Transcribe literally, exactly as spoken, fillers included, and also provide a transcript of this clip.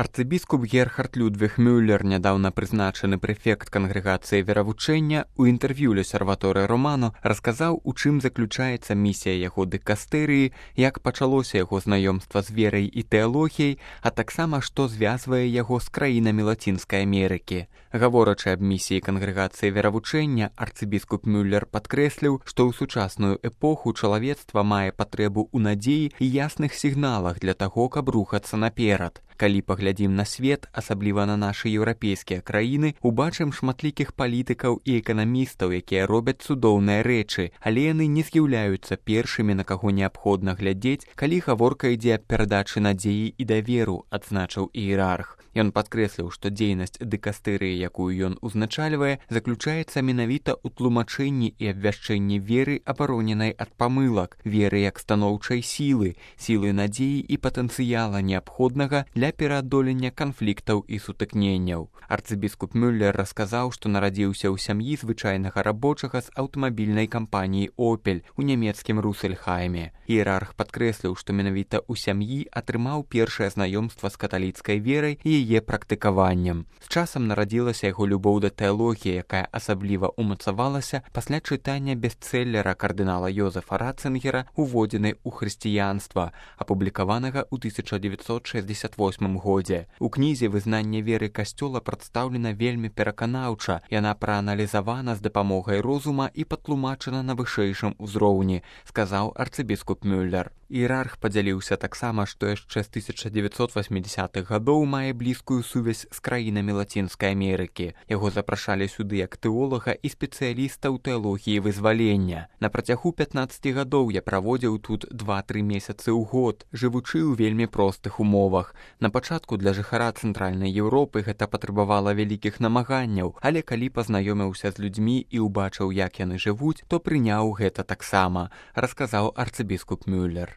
Арцыбіскуп Герхард Людвіг Мюллер, нядаўна прызначаны прэфект кангрэгацыі веравучэння, у інтэрв'ю «Л'осерваторе Романо» расказаў, у чым заключаецца місія яго дыкастэрыі, як пачалося яго знаёмства з верай і тэалогіяй, а таксама, што звязвае яго з краінамі Лацінскай Амерыкі. Гаворачы аб місіі кангрэгацыі веравучэння, арцыбіскуп Мюллер падкрэсліў, што ў сучасную эпоху чалавецтва мае патрэбу ў надзеі і ясных сігналах для таго, каб рухацца наперад. Калі паглядзім на свет, асабліва на нашы еўрапейскія краіны, убачым шматлікіх палітыкаў і эканамістаў, якія робяць цудоўныя рэчы, але яны не з'яўляюцца першымі, на каго неабходна глядзець, калі гаворка ідзе аб перадачы надзеі і даверу, адзначыў іерарх. Ён падкрэсліў, што дзейнасць дыкастэрыі, якую ён узначальвае, заключаецца менавіта ў тлумачэнні і абвяшчэнні веры, абароненай ад памылак, веры як станоўчай сілы, сілы надзеі і патэнцыяла неабходнага для пераадолення канфліктаў і сутыкненняў. Арцыбіскуп Мюллер расказаў, што нарадзіўся ў сям'і звычайнага рабочага з аўтамабільнай кампаніі «Опель» у нямецкім Русельхайме. Іерарх падкрэсліў, што менавіта ў сям'і атрымаў першае знаёмства з каталіцкай верай і яе практыкаваннем. З часам нарадзілася яго любоў да тэалогіі, якая асабліва умацавалася пасля чытання бестселлера кардынала Йозефа Ратцынгера «Уводзіны ў хрысціянства», апублікаванага ў тысяча дзевяцьсот шэсцьдзесят восьмым годзе. У кнізе вызнанне веры касцёла прадстаўлена вельмі пераканаўча, яна прааналізавана з дапамогай розума і патлумачана на вышэйшым узроўні, сказаў арцыбіскуп Мюллер. Іерарх падзяліўся таксама, што яшчэ з тысяча дзевяцьсот васьмідзясятых гадоў мае блізкую сувязь з краінамі Лацінскай Амерыкі. Яго запрашалі сюды як тэолага і спецыяліста ў тэалогіі вызвалення. На працягу пятнаццаці гадоў я праводзіў тут два-тры месяцы ў год, жывучы ў вельмі простых умовах. На пачатку для жыхара Цэнтральнай Еўропы гэта патрабавала вялікіх намаганняў, але калі пазнаёміўся з людзьмі і ўбачыў, як яны жывуць, то прыняў гэта таксама, расказаў арцыбіскуп Мюллер.